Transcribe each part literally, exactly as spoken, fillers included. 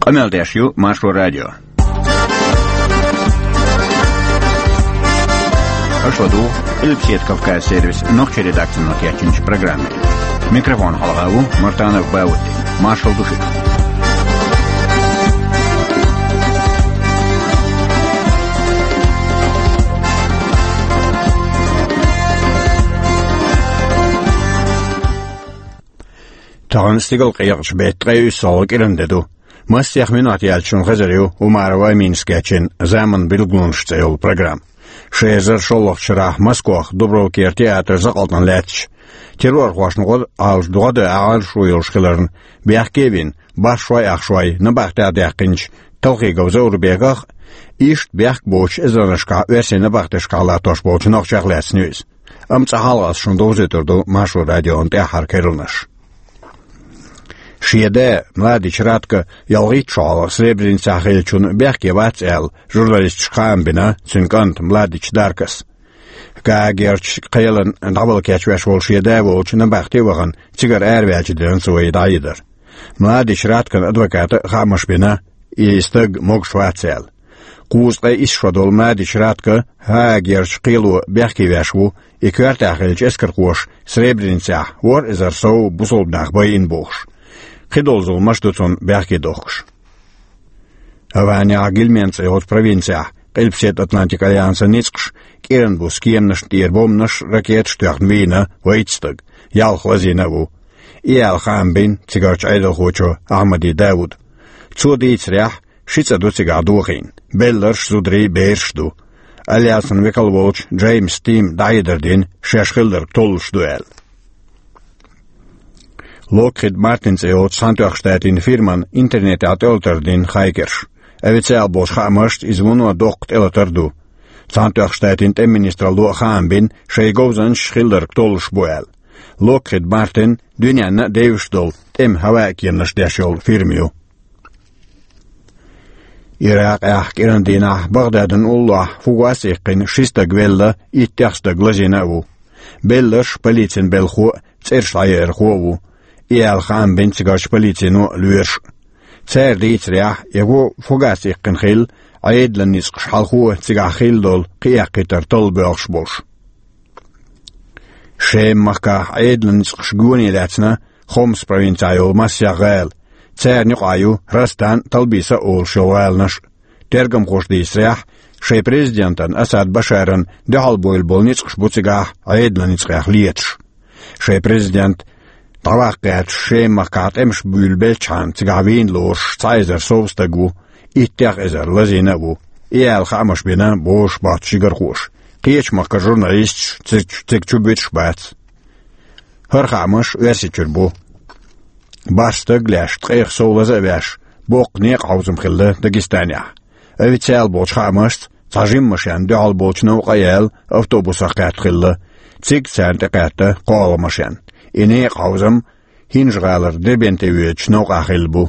Къамел деш ю Маршо радио. Аша ладугӀу Къилбаседа Кавказ сервисан нохчийн редакцино кечйинчу программе. Микрофон хьалха ву Мартанов Баудди. Маршалла ду шуьга. Тахана стигалкъекъачу беттан ткъе уьссалгӀа кӀиран де ду. Массех минот яьлча шуна хезар ю Умарова Аминас кечйина «Заман билгалонаш» цӀе йолу программа. Ши эзар шолгӀачу шарахь Москвахь Дубровкера театр закъалтана лаьтташ, террорхошна гӀо а Ӏалаш, догӀа а дан Ӏалашо йолуш хиларна, бехке а вина, башхой а ахчой набахтехь а даьккхинчу Талхигов Заурбеках а, иштта бехк боцуш эзарнашкахь оьрсийн набахтешкахь латтош болчу нохчех а лаьцна ю иза. Амма цкъа хьалха ас шуна довзуьйтур ду Маршо радион тӀаьххьара керланаш. Шен да Младич Ратко ялхитта шо хьалха Сребреницахь хиллачунна бехке вац аьлла, журналисташка хаам бина цуьнан кӀанта Младич Даркос. Гаагерчу кхелана дӀавала кечвеш волу шен да волчу набахте а вахана, цигара араваьллачу дийнахь цо и дӀахьедар. Младич Раткон адвоката хаамаш бина, и стаг могуш вац аьлла. Кхузткъе исс шо долу Младич Ратко Гаагерчу кхело бехке веш ву, и коьртехь хиллачу эскархоша Сребреницехь ворхӀ эзар сов бусалба нах байина бохуш. Кхидолу зуламаш ду цунна бехке дохкуш. Аванехь Гильмен цӀе йолчу провинцехь Къилбаседа Атлантикан альянсан ницкъаша кӀиран буса кеманашна тӀера бомбанаш, ракеташ тоьхна вийна вайца стаг, ялх лазийна а ву. И аьлла хаам бина цигарчу Ӏедалхочо Ахьмади Дауда. Цо дийцарехь, ши цӀа ду цигахь дохийна, белларш, зударий, бераш ду. Альянсан векал волчу Джеймс Тима дӀахьедар дина, шаьш хилла дерг толлуш ду аьлла. Локхид Мартин цӀе йолчу Цхьаьнатоьхначу Штатийн фирмана интернетехь тӀелатар дина хакерша. Официалан болчу хаамашца иза вуно доккха тӀелатар ду. Цхьаьнатоьхначу Штатийн тӀеман министралло а хаам бина, шайн говзанчаш хилла дерг толлуш бу аьлла. Локхид Мартин дуьненна а девзаш долу тӀеман хӀаваан кеманаш деш йолу фирма ю. Иракъехь кӀиран дийнахь Багдадан уллохь фугас а иккхина ши стаг велла, иттех стаг лазийна а ву. Белларш полицин белхахо а, цӀераш дӀаяьрхо а ву. И аьлла хаам бина цигарчу полицино а, лоьраша а. Цара дийцарехь, и го фугас иккхина хилла, Ӏедалан ницкъаша хьалхо а цигахь хилла долу кхиэккхийтар талла боьлхуш болуш. Шема-махкахь Ӏедалан ницкъаша гоне лаьцна Хомс провинцехь йолу массех гӀала. Царна юкъахь ю Растан а, Талбиса а олуш йолу гӀаланаш а. Тергамхоша дийцарехь, шайн президентан Асад Башаран дуьхьалбевлла болу ницкъаш бу цигахь Ӏедалан ницкъех леташ. Шайн президент дӀаваккха гӀерташ Шема-махкахь тӀемаш буьйлабелчхьана, цигахь вийна лоруш цхьа эзар сов стаг ву, иттех эзар лазийна а ву. И аьлла хаамаш бина бозуш боцчу жигархоша. Кхечу махкара журналисташ цига, цига чубуьтуш бац. ХӀара хаамаш Оьрсийчуьра бу. БархӀ стаг а леш, ткъех сов лаза а веш, боккха некъан хьовзам хилла Дагестанехь. Официалан болчу хаамашца, цхьа жима машен дуьхьалболчу новкъа а яьлла, автобусах кхетта хилла. Цига царна тӀекхетта кхоалгӀа машен. И некъан хьовзам ХӀинжа-ГӀалара Дербенте воьдучу новкъахь хилла бу.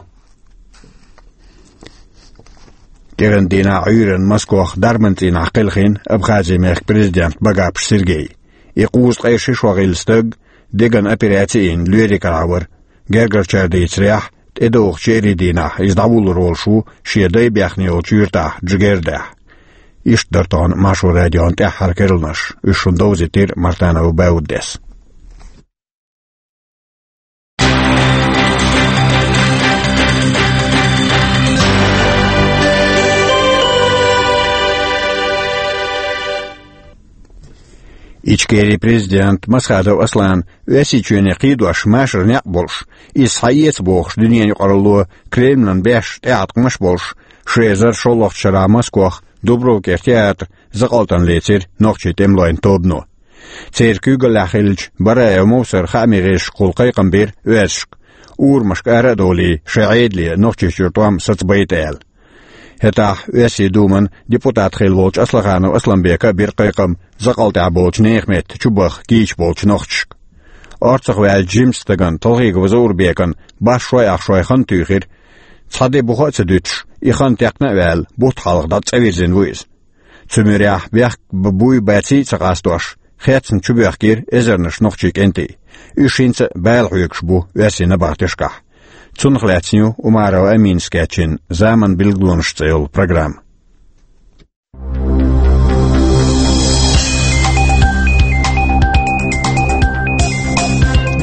КӀиран дийнахь Ӏуьйранна Москвахь дарбан цӀийнахь кхелхина Абхазин мехкан президент Багапов Сергей. И кхузткъе ши шо гӀилла стаг, деган операци а йина, лоьриг карахь вара. Гергарчара дийцарехь, тӀедогӀучу еарин дийнахь иза дӀавуллур волуш ву шен дай бехна йолчу юьртахь Джигердахь. Иштта дара тахана Маршо радион тӀаьххьара керланаш. Уьш шуна довзийтира Мартанов Бауддис. Ичкерин президент Масхадов Аслан Оьрсийчоьне кхийдош машар некъ болуш, иза схьаэца бохуш дуьненан юкъаралло Кремлан беш тӀеӀаткъамаш болуш, ши эзар шолгӀачу шарахь Москвахь Дубровкера театр закъалтана лецира нохчийн тӀемалойн тобано. Церан куьйгаллехь хиллачу Бараев Мовсара хаамийн гӀирсашкахула кхайкхам бира оьрсашка, урамашка ара а довлий, шайн Ӏедале Нохчийчуьра тӀом сацабайта аьлла. ХӀетахь Оьрсийн Думан депутат хилла волчу Аслаханов Асланбека а бира кхайкхам закъалтехь болчу нехан метта чубаха кийча болчу нохчашка. Орцах ваьллачу жимачу стагана Талхигов Заурбекана бархӀ шой ах шой хан туьйхира. Цхьа де буха а ца дуьтуш, и хан текхна а ваьлла, бутт хьалха дӀа цӀа вирзина ву иза. Цу муьрехь бехк б-, буй баций а ца къастош, хецна чубоьхкира эзарнаш нохчийн кӀентий. Уьш хӀинца а бала хьоьгуш бу оьрсийн набахтешкахь. Цунах лаьцна ю Умарова Аминас кечйина «Заман билгалонаш» цӀе йолу программа.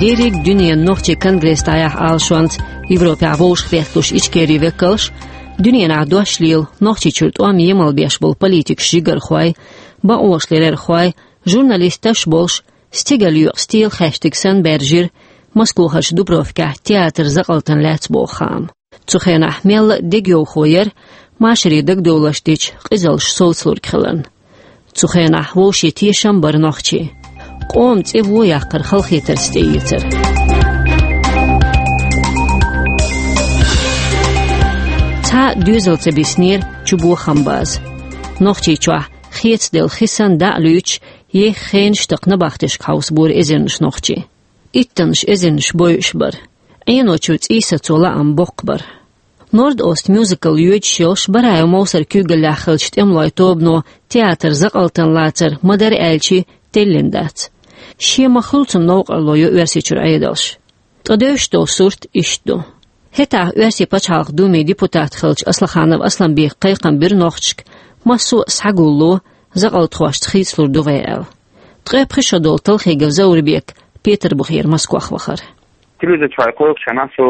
Дерриг дуьненан нохчийн конгресс дӀаяхьа Ӏалашонца Европехь вовшахбетталуш Ичкерин векалш дуьненахь дош лела Нохчийчуьра тӀом емал беш болу политикаш, жигархой, бакъонашларъярхой, журналисташ а болуш, стигаллиъна стелан хьаьштиг санна баьржира Москохарчу Дубровкехь театр закъалтана лаьцна боху хаам. Цу хенахь мелла а дегайовхо яра машаре дагадовларш дечу къизаллаш совцалург хиларна. Цу хенахь вовшийн тешам бара нохчийн. Къоман цӀе вон яккхар халахетарца тӀеэцара. Цхьа а доьзал ца биснера чу бохам база. Нохчийчохь хецаделла хи санна дӀа а луьйчуш, еха хенаш такха набахтешка хьовсабора эзарнаш нохчий. Иттаннаш эзарнаш бойуш бара. Ӏеночуьра цӀий сацо лаам боккха бара. Норд-Ост мюзикл йоьдуш йолуш Бараев Мовсар куьйгаллехь хиллачу тӀемалойн тобано театр закъалтана лацар ма-дарра аьлча теллина дац. Шен ма-хуьллу цунна новкъарло йо Оьрсийчуьра Ӏедалш. Ткъа девзаш долу сурт иштта ду. ХӀетахь Оьрсийн пачхьалкхан Думин депутат хиллачу Аслаханов Асланбека кхайкхам бира нохчашка, массо а схьагулло, закъалтхошца хийцалур ду вай аьлла. Ткъе пхи шо долу Талхигов Заурбек Петарбухера Москох вахара. Телевизор чохь кхойкхучу хенахь со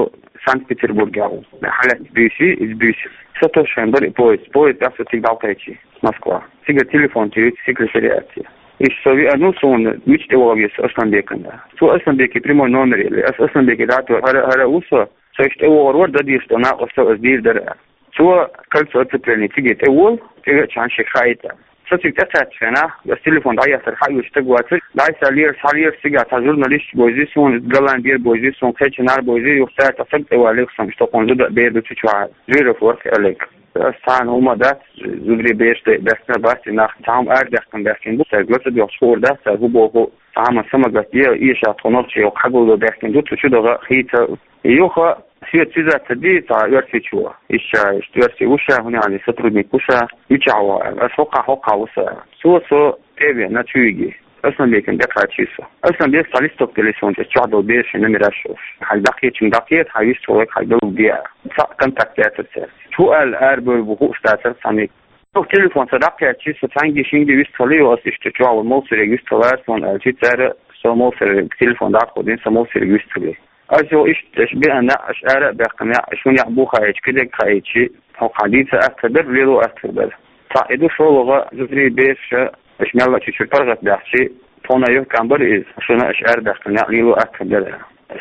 Санкт-Петербургехь ву. Хьалаьцна буьйса, иза буьйса. Со тосуш хенахь бара и поезд. Поезд тӀехь со цига дӀакхаьччи Москва. Цига телефон тӀе ю секретариате. Иштта со веана, суна мича тӀе ваха веза со Асланбекана. Цо Асланбеке прямой номер елли. Ас Асланбеке дӀатоьхна, хӀара, хӀара ву со, со иштта тӀе вогӀур вара, дан дезаш долу накъост со аса дийр дара. Цо кольцо оцепления цига тӀеволу, тӀевеача хьан шега хаийта. Со цига тӀекхаьччу хенахь, ас телефон дӀаеттара, хьан вуьйцу стаг вацара, дӀасалера, схьалера цигахь цхьа журналисташ бовзий суна, голландера бовзий суна, кхечанара бовзий, юха цара цхьа стаг тӀевалийра суна, иштта хӀокхунна зуда а бер ду цу чохь, Жиров вара Олег. Ас цхьана хӀума дац, зударий бераш дай баьхкина бац, и нах цхьа хӀума арадаьккхина баьхкина бу, цаьрга ла ца доьхуш хуур дац, цара хӀун боху, цхьа хӀума самагатде, эша тхо нохчий хьагулдо баьхкина ду, цу чу даха хийца. Юха, шен цуьза ца ди, цхьа оьрсичо. Иштта, иштта оьрси ву ша, хӀунда аьлча сотрудник ву ша, мичахь ву аьлла. Ас хӀокхахь, хӀокхахь ву со аьлла. Цо со тӀе а веана, чу виги. Асланбекана тӀекхаччи со. Асланбека цхьа листок делира суна, цу чохь долу берашийн номераш йолуш. Хьайн дӀакхечунна дӀакхета, хьайн вистхуьлург хьайга далург де аьлла. Цхьаъ контакт яцара цаьрца. ХӀун аьлла арабевр бу хууш дацара цхьаннега. Юха телефон сан дӀакхаьччи, со цхьаьнгге-шинге вистхилла, юха ас иштта чохь волу Мовсаре вистхилла суна аьлчи, цара со Мовсаре телефон дӀатӀаходина, со Мовсаре вистхилли. Ас юха иштта, аша беана неӀ, аша ара а баьккхина неӀ, аша хӀун неӀ бу хаийча, кхидерг хаийчи, хӀокхахь дийца аьттар дара, лело аьттар дара. Цхьаъ и ду, шолгӀа, зударий, бераш, аша мелла а чу чуьра паргӀат баьхчи, тхуна юхкам бара иза, шуна аша арабаьккхина неӀ лело аьттар дара.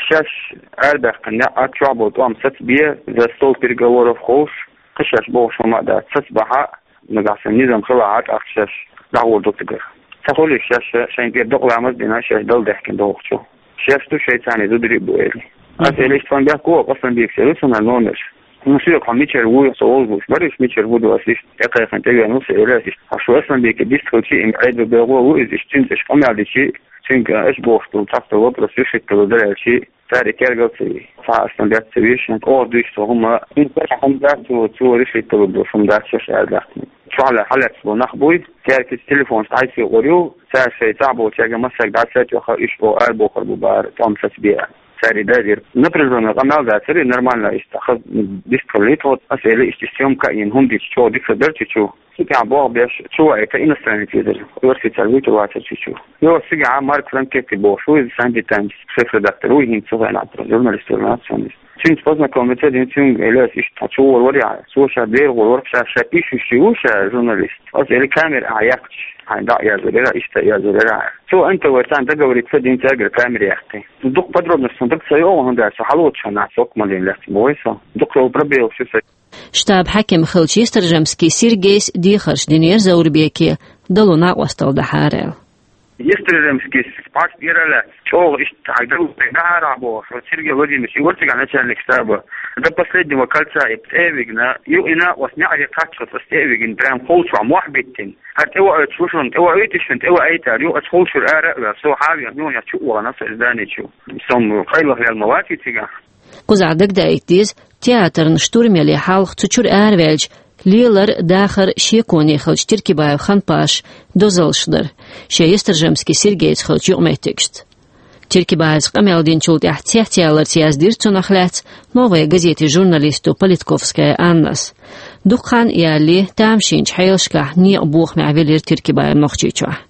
Шаьш арабаьккхина неӀ а чохь болу тӀом сацабе, за стол переговоров ховш, кхин шаьш бохуш хӀума а дац, сацабахь а, нагахь санна низам хилахь а, тӀаккха шаьш дӀагӀур ду цигара. Ца хуьлий шаьш шайна тӀера докъа ламаз а дина, шаьш дала даьхкина дохучу. Шаьш ду шайца цхьаьна зударий а бу, элира. Аса элира, иштта тхуна бехко Асланбекера ю суна номерш. ХӀун соьга хьо мичара вуй, со вовзуш бара, иштта мичара ву ду, аса иштта тӀекхайкхина тӀевеана ву со, элира аса иштта. Хьо шу Асланбеке дистхилчи, им Ӏедал бегӀо а ву иза, иштта цуьнца аша къамел дичи, цуьнга аша бохуш долу цхьацца вопрос решить далур дара аьлчи, цара и тергал ца йиш. Цхьа а стан баьцци ца виш, оха дуьйцу хӀума, хӀума дац, цо, цо решить далур долуш хӀума дац шаьш арадаьккхина. Чохь хьалаьцна болу нах буй, цаьрга телефонаш дӀасаекъур ю, цара шайн цӀахь болчаьрга массаьрга дӀасатоьхна, иштта оха арабохур бу бара, тӀом сацабе аьлла. Цара и дайдира. Напряжённый къамел дацара, и нормально иштта, хаза дистхилли тхо, аса элира, иштта съёмка а йина, хӀума дича чӀогӀа дика хир дара чу чу. Цигахь болх беш, чу ваийта иностранец везара, оьрсий цара вуьйцур вацара чу чу. Йо, цигахь Марк Франкетти бохуш ву иза, Санди Таймс шеф-редактор ву, хӀинца цу хенахь журналист вара нацо иза. Цуьнца познакомиться дина, цуьнга элира аса иштта, хьо чу гӀур варий хьо? Цо ша дера гӀур вара, ша, ша пишущий ву ша журналист. Аса элира, камера ахьа яьккхича, хьайна дӀа а язъяр яра, иштта а язъяр яра. Цо эн тэ вэ царна договориться дина цаьргара камера яккхий. Дукха подробносташ суна дага ца йогӀу, хӀунда аьлча со хьалоцуш хьан нах соккха малийна лаьцна боху со. Дукха йолу пробелаш ю сан. Штаб-хьаькам хиллачу Естержамский Сергейс дехарш динера Заурбеке, дало накъосталла дахьара аьлла. Естержамскийс пхьарс тӀера а лаьцна, чӀогӀа иштта хьайга далур дахьара ахь бохуш, вот Сергей Владимирович, и вара цигахь начальник штаба, до последнего кольца и тӀе а вигна, юха и накъост неӀаре кхаччалц аса тӀе а вигна, прям холчохь мохь биттина. ХӀара тӀевоуьйтуш ву шуна, тӀевоуьйтий шуна, тӀевоуьйтар, юха аса холчуьра ара а ваьлла, со хьа а веана, юханехьа чу а вахана со и здани чу. Со-м къайлаха ваьлла ма ваций цигахь. Кхузахь дагадаийта деза, театрна штурм яле хьалха цу чуьра араваьлча, лелар, дахар шеконе хиллачу Тиркибаев Ханпаша дозаллаш дара, шен Естержамский Сергейца хиллачу юкъаметтигашца. Тиркибаевс къамел динчул тӀаьхьа цецъяларца яздира цунах лаьцна «Новая газета» журналисто Политковская Аннас. Дукха хан ялале, тамашийначу хьелашкахь некъан бохамехь велира Тиркибаев Нохчийчохь.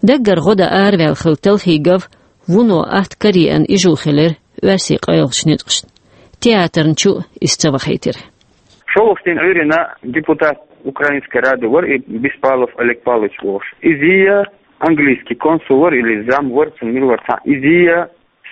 Даггара гӀо дан араваьлла хилла Талхигов вуно атта караеана ижу хилира оьрсийн къайлахчу ницкъашна. Театрна чу а иза ца вахийтира. ШолгӀачу дийнахь Ӏуьйранна депутат Украинской Рады вара и Беспалов Олег Павлович волуш. Иза а английский консул вара или зам вара, цунна мила вара цхьа. Иза а,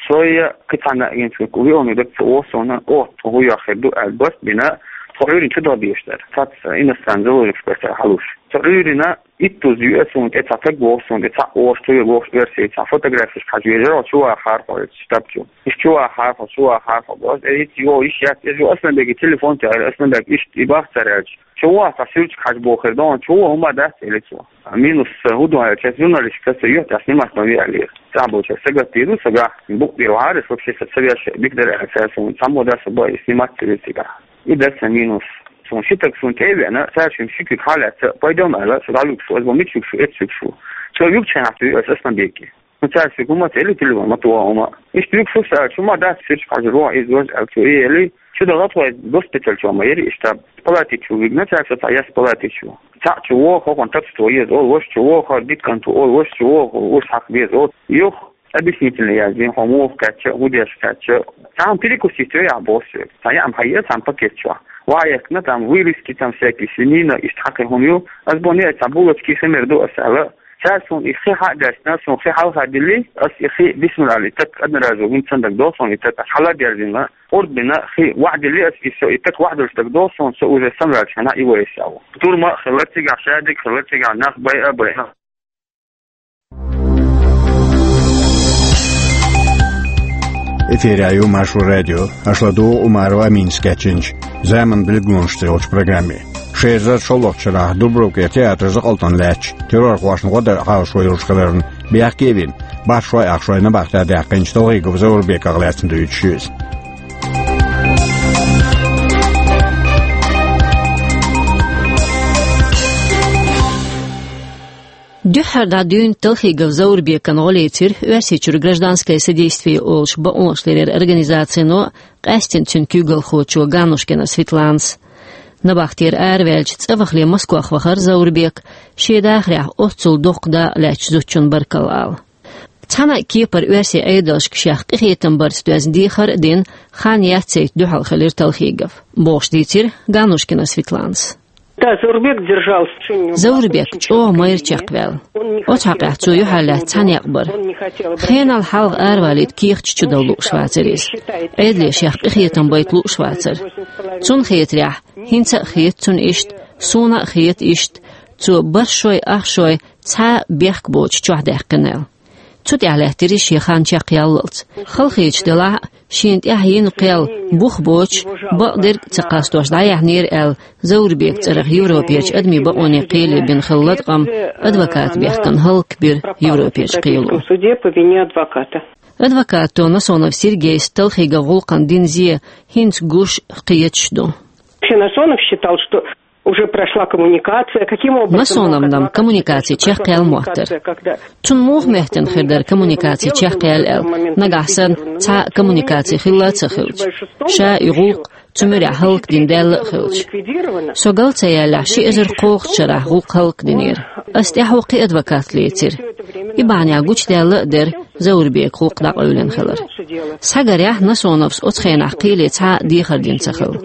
со а, кхин цхьанна а гӀинчуьнга виъална дага ца оха суна, оха тхо хӀун йохь хир ду аьлла, барт а бина, тхо Ӏуьйранна чу даха безаш дара. Цхьацца иностранный заложникаш бара цара хьалуш. Тхо Ӏуьйранна иттуза юьа суна тӀе цхьа таг воху суна тӀе, цхьаъ оха чу вега вохуш оьрсий, цхьа фотографеш хьажа вежара, чу вахара хьо оцу штаб чу. Иштта чу вахара хьо, чу вахара хьо бохуш, э, хӀинца йо, йиш яц, иза йо, Асланбеге телефон тӀе аьлла, Асланбег иштта и бах цара аьлча. Чу ваха цхьа суьртиг хьажа бохур ду, чу ваха хӀума дац, элира цо. Минус, э, хӀун ду аьлча, журналисташка аса юьхь тӀехь снимать ма ве аьллера. Цхьа болчара сагатдийр ду, сагахь букъ бийр вахьара, вообще са ца веш дика дара аьлла, цара суна цхьаммо дац, бай, снимать ца вира цигахь. И дара сан минус. Суна ши таг суна тӀе а веана, цара шуьна ши куьг хьалаьцна, пайдом аьлла, со дӀалуьгуш ву, аса бо мича вуьгуш ву, эцца вуьгуш ву. Цо юьгучу хенахь туьйу аса Асланбеге. Ну, цара шуьга хӀума ца элли телефон, ма тоха хӀума. Иштта вуьгуш ву аса аьлча, хӀума дац, суьртиг хьажа вон иза важа аьлла, цо и элли. Чу даха тхо госпиталь чу ма яри иштта. Палати чу вигна цара со цхьа яс палати чу. Цхьаъ чу вогӀу, хӀокхунна тапста ван еза олу, ваша чу вогӀу, хӀара дика кӀант ву олу, ваша чу вогӀу, уьш хьакха беза олу. Юха объяснительный яздина, хьо муха кхаьчча, хӀун деш кхаьчча. Цхьа хӀума перекусить ве ахь боху соьга. Цхьа яа хьаеа цхьана пакет чохь. Ваха яхкина там вырезки, там всякий свинина, иштта хьакхин хӀума ю. Ас бо неа цхьа булочки хи мер ду ас аьлла. Цара суна и хи хьа а даьстина, суна хи хьалха дилли, ас и хи бисмилла аьлла, и таг одноразово, хӀинца сан дагадогӀу суна и таг, ас хьала а дерзина, урд бина, хи ваӀ дилли, ас и со, и таг ваӀ долуш дагадогӀу суна, со уже самаваьлча хьана и вайса ву. Турма а хилла цигахь, шадерг а хилла цигахь, нах байа а байна. Эфирехь ю Маршо радио. Аша ладугӀу Умарова Аминас кечйинчу «Заман билгалонаш» цӀе йолчу программе. Ши эзар шолгӀачу шарахь Дубровкера театр закъалтана лаьтташ террорхошна гӀо дан хьалашо йолуш хиларна бехке а вина, башхой а ахчой набахтехь даьккхинчу Талхигов Заурбеках лаьцна дуьйцуш ю иза. Дуьххьара дӀа дуьйна Талхигов Заурбекана гӀо лецира Оьрсийчуьра «Гражданское содействие» олуш бакъонашларъяран организацино, къаьсттина цуьнан куьйгалхочо Ганнушкина Светланас. Набахтера араваьлча, цӀа вахале Москвахь вахара Заурбек, шен дахарехь оццул доккха дакъа лаьттачу зудчунна баркалла ала. Цхьана а кепара оьрсийн Ӏедалшка шех къинхетам барца доьзна дехар а дина, хан яцийта дуьхьал хилира Талхигов, бохуш дийцира Ганнушкина Светланас. Да, Заурбек держался очень... Заурбек чӀогӀа майра чекхваьлла. Оцу хьокъехь цо юьхьарлаьцна цхьа некъ бара. Хенал хьалха аравалийта кехаташ чу дала лууш вацара иза. Ӏедале шех къинхетам байта лууш вацара. Цунна хетарехь, хӀинца а хета цунна иштта, суна а хета иштта, цо бархӀ шой, ах шой цхьа а бехк боцуш чохь даьккхина аьлла. Цу тӀехь лаьттира шен хан чекхъяллалц. Халахеташ делахь а, шена тӀехь йина кхел бух боцуш, бакъдерг а ца кхастош дӀаяьхьнера аьлла, Заурбекан цӀарах Европерчу адамийн бакъонийн кхеле бина хилла латкъам адвокатан бехкана хӀаллакбира Европерчу кхело. Суде по вине адвоката. Адвокато Насонов Сергейс Талхиговн гӀуллакхна дина зе хӀинца гуш, кхеташ ду. Вообще Насонов считал, что уже прошла коммуникация. Каким образом... Насоновна коммуникаци чекхъяьлла моттара. Цунна муха моьттина хир дара коммуникаци чекхъяьлла аьлла, нагахь санна цхьа а коммуникаци хилла а ца хилча, ша и гӀуллакх цу муьрехь хӀаллакдина даьлла а хилча? Со гал ца яьллехь, ши эзар кхоалгӀачу шарахь гӀуллакх хӀаллакдинера. Ас тӀаьхьо кхин адвокат лецира. И бахьанехь гучудаьлла а дара Заурбекан гӀуллакх дӀакъевлина хилар. Схьагарехь, Насоновс оцу хенахь кхеле цхьа а дехар дина ца хилла.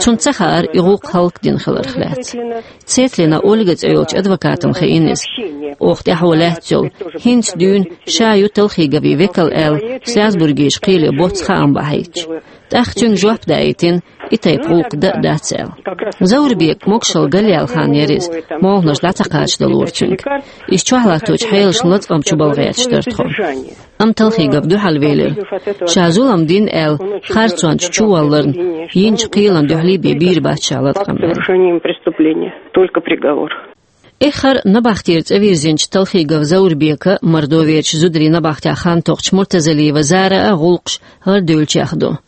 Цунна ца хаьара и гӀуллакх хӀаллакдина хиларх лаьцна. Цетлина Ольга цӀе йолчу адвокатана хаьара иза. Оха тӀаьхьо лаьцна йолу, хӀинца дуьйна ша ю Талхиговн векал аьлла, Страсбургерчу кхеле боцца хаам бахьийтича. ТӀаккха цуьнга жоп даийтина, и тайпа гӀуллакх дан а дац аьлла. Заурбек могушалла галъяьлла хан яра иза, молханаш дӀа ца кхачадалора цуьнга. Иза чохь латточу хьелашна латкъам чу бала гӀерташ дара тхо. Амма Талхигов дуьхьал велира. Ша зулам дина аьлла, харцонца чувалларна, йинчу кхелана дуьхьал бен бийр бац ша латкъам аьлла. Совершением преступления. Только приговор. Эххар набахтера цӀа вирзинчу Талхигов Заурбекан а, Мордоверчу зударийн набахтехь хан токхучу Муртазалиева Заран а гӀуллакхаш гӀардуьйлучех ду.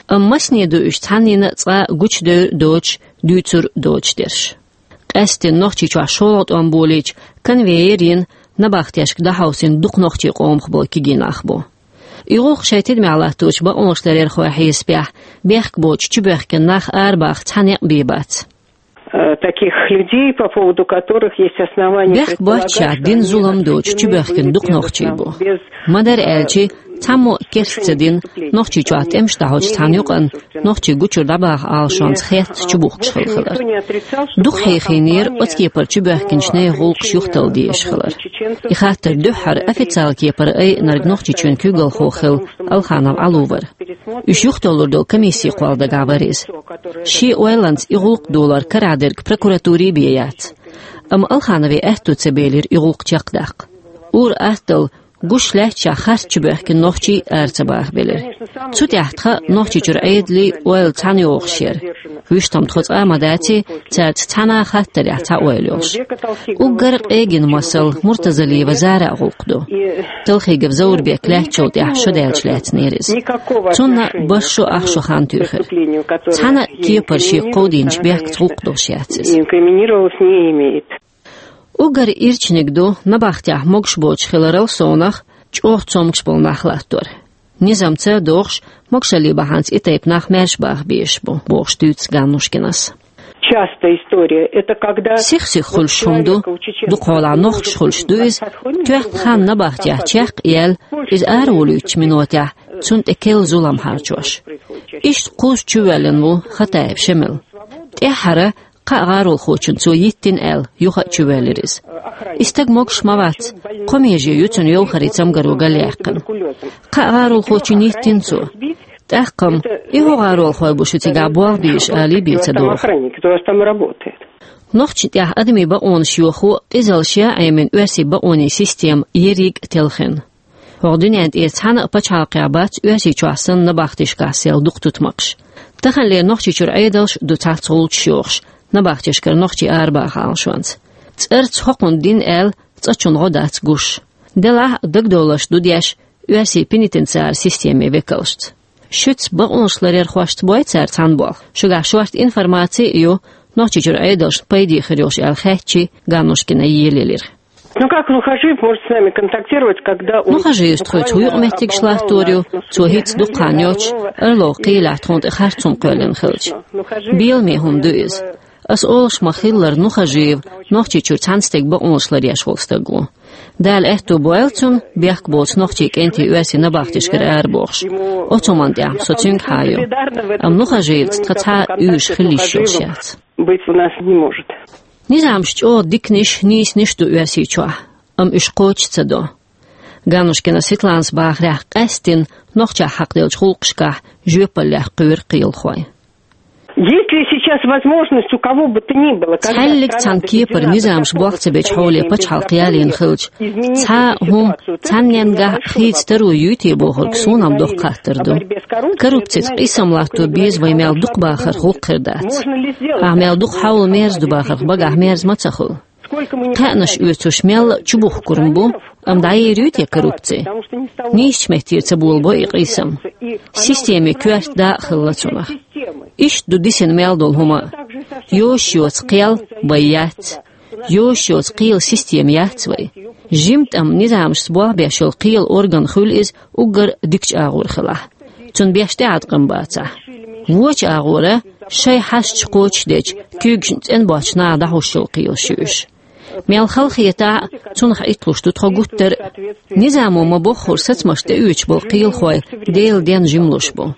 Амма масане ду уьш цхьаннина а цкъа гучудевр доцуш, дуьйцур доцуш дерш. Къаьсттина Нохчийчохь шолгӀа тӀом болийча, конвейер йина, набахтешка дӀахьовсийна дукха нохчийн къомах болу кегий нах бу. И гӀулакх шоай тидамехь латточу бакъонашларъярхойн хьесапехь, бехк боцуш чубоьхкина нах арабаха цхьа некъ бен бац. Э, таких людей, по поводу которых есть основания предполагать, что они разместили в Москве в основном без, э, Бехк боцуш а дина зулам доцуш чубоьхкина дукха нохчий бу. Ма-дарра аьлча, цхьаммо а керста ца дина, Нохчийчохь тӀемаш дӀахьочу цхьана юкъанна нохчий гучура дӀабаха Ӏалашонца хетта чубухкуш хилла хилар. Дукха хьехийнера оцу кепара чубоьхкинчу нехан гӀуллакхаш юхаталла дезаш хилар. И хаттар дуьххьара официалан кепара айинарг Нохчийчоьнан куьйгалхо хилла Алханов Ӏалу вара. Уьш юхатоллур долу комиссин кхолладагахь вара иза. Шен ойланца и гӀуллакх долор карахь дерг прокуратуре бен яц. Амма Алханове аьтто ца белира и гӀуллакх чекхдаккха. Ур-атталла гуш лаьтташехь харц чубоьхкина нохчий ара ца бахабелира. Цу тӀехь тхан Нохчийчуьра Ӏедалан ойла цхьаьна йогӀуш яра. Вуьшта-м тхо цкъа а ма дац, цаьрца цхьана а хаттарехь цхьа ойла йолуш. Уггар къегина масал Муртазалиева Зараан гӀуллакх ду. Талхигов Заурбек лаьттачул тӀаьхьа шо даьлча лаьцнера иза. Цунна бархӀ шо, ах шо хан туьйхира. Цхьана а кепара шега кховдийначу бехкаца гӀуллакх долуш яц иза. Инкриминировалась, не имеет. Уггар ирчаниг ду набахтехь могуш боцуш хиларал совнах чӀогӀа цомгуш болу нах латтор. Низамца а догӀуш, могушаллин бахьанца и тайпа нах маьрша баха безаш бу, бохуш дуьйцу Ганнушкинас. Частая история. Это когда... Сих-сиха хуьлуш хӀума ду, дукхахьолахь нохчаша хуьлуш ду иза, тоьхна хан набахтехь чекх а яьлла, иза араволуьйтучу минотехь цунна тӀе керла зулам хьарчош. Иштта кхузза чувоьллина ву Хатаев Шемал. ТӀаьххьара кхаа гӀаролхочунна цо йиттина аьлла, юха а чувоьллира иза. И стаг могуш ма вац, кхо меже ю цуьнан йовхаре цамгаро галъяьккхина. Кхаа гӀаролхочунна йиттина цо. ТӀаккха-м и хӀун гӀаролхой бу шу цигахь болх бийш, алий бен ца догӀу. Нохчашна тӀехь адамийн бакъонаш йохо къизаллаш ян Ӏемина оьрсийн бакъонийн система ерриг а телхина. ХӀокху дуьнен тӀера цхьана а пачхьалкхехь бац Оьрсийчохь санна набахтешкахь сел дукха тутмакхаш. Таханлера Нохчийчуьра Ӏедалш а ду цхьацца гӀулчаш йохуш, набахтешкара нохчий арабаха Ӏалашонца. ЦӀарца хӀокхунна дина аьлла, цкъачунна гӀо дац гуш. Делахь а дагадовларш ду деш оьрсийн пенитенциаран системин векалшца. Шуьца, бакъонашларъярхошца, бой цара цхьаьна болх? Шуьгахь шорта информаци а ю, Нохчийчуьра Ӏедалшна пайде хир йолуш аьлла хаьттича, Ганнушкина елаелира. Ну как Нухажиев может с нами контактировать, когда он... Нухажиевс тхоьца хӀун юкъа меттигаш латтор ю, цо хӀинцца дукха хан йоцуш, Орловн кхелехь тхуна тӀе харц хӀума кхоьллина хилча? Беламе хӀума ду иза. Ас олуш ма-хиллара, Нухажиев Нохчийчуьра цхьана стеган бакъонашларъеш волу стаг ву. Дала аьтто бойла цунна, бехк боцу нохчийн кӀентий оьрсийн набахтешкара арабохуш. Оцу хӀуманна тӀехь-м со цуьнга хьан ю. Амма Нухажиевца тхан цхьа а уьйраш хила йиш йолуш яц. Быть у нас не может. Низамаш чӀогӀа диканиш, нийсаниш ду Оьрсийчохь, амма уьш кхочуш ца до. Ганнушкина Светланас бахарехь, къаьсттина нохчех хьакхаделлачу гӀуллакхашкахь жоьпаллех кхоьру кхелахой. Есть ли сейчас возможность у кого бы то ни было, когда... Цхьаьллиг цхьана кепара низамаш болх ца бечу хьоле пачхьалкх ялийна хилча, цхьа а хӀума цхьанненгахь хийца таро юй те бохург суна-м доккха хаттар ду. Коррупцица къийсам латто беза вай мел дукха бахарх гӀуллакх хир дац. Ахь мел дукха хьовла мерза ду бахарх багахь мерза ма ца хуьлу. Кхаьънаш оьцуш мелла а чубухкур-м бу, амма дӀаер юй те коррупци? Нийсачу меттера ца болабо и къийсам. Системин коьрта дакъа хилла цунах. Иштта ду дисина мел долу хӀума а. Йозуш йоцу кхел бай яц. Йозуш йоцу кхелан система яц вай. Жимма тӀамна низамашца болх беш йолу кхелан орган хуьлу иза уггар дикачу агӀор хилахь, цунна беш тӀеӀаткъам бацахь. Вочу агӀора шайн хьашташ кхочушдечу, куьйгашна цӀена боцчу наха дӀахьуш йолу кхелаш ю уьш. Мел хала хетахь а, цунах итталуш ду тхо гуттар а. Низамо ма-боххура сацамашна тӀеоьцуш болу кхелахой Делан денна жималуш бу.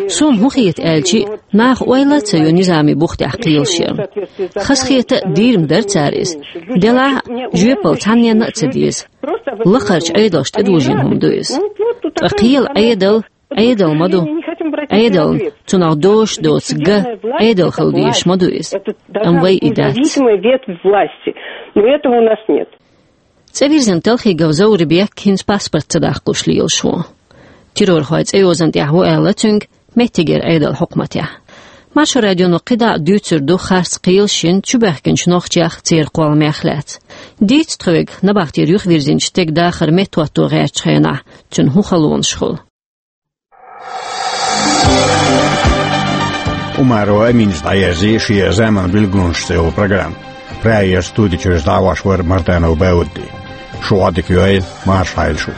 Суна хӀун хета аьлча, наха ойла а ца йо низамийн бух тӀехь кхелаш ярна. Хазахета а, дийр-м дара цара иза. Делахь а, жоьпалла цхьанненна а ца деза. Лакхарчу Ӏедалша тӀедужийна хӀума ду иза. Ткъа кхелан Ӏедал Ӏедал ма ду. Ӏедална, цунах дозуш доцу ган Ӏедал хила дезаш ма ду иза. Амма вай и дац. Независимая ветвь власти. Но этого у нас нет. ЦӀе вирзина Талхигов Заурбек хӀинца паспорт ца даккхалуш лелаш ву. Террорхойн цӀейозан тӀехь ву аьлла цуьнга меттигера Ӏедалан хьукматехь. Маршо радионо кхидӀа а дуьйцур ду харц кхелаш йина чубоьхкинчу нохчех, церан кхолламех лаьцна. Дийца тхоьга, набахтера юхавирзинчу стеган дахар меттахӀотто гӀертачу хенахь, цуьнан хӀун халонаш хуьлу. Умарова Аминас дӀаерзий шен «Заман билгалонаш» цӀе йолу программа. Прайеран студи чуьра дӀахьош вара Мартанов Баудди. Шу Ӏодика йойла, марша Ӏойла шу.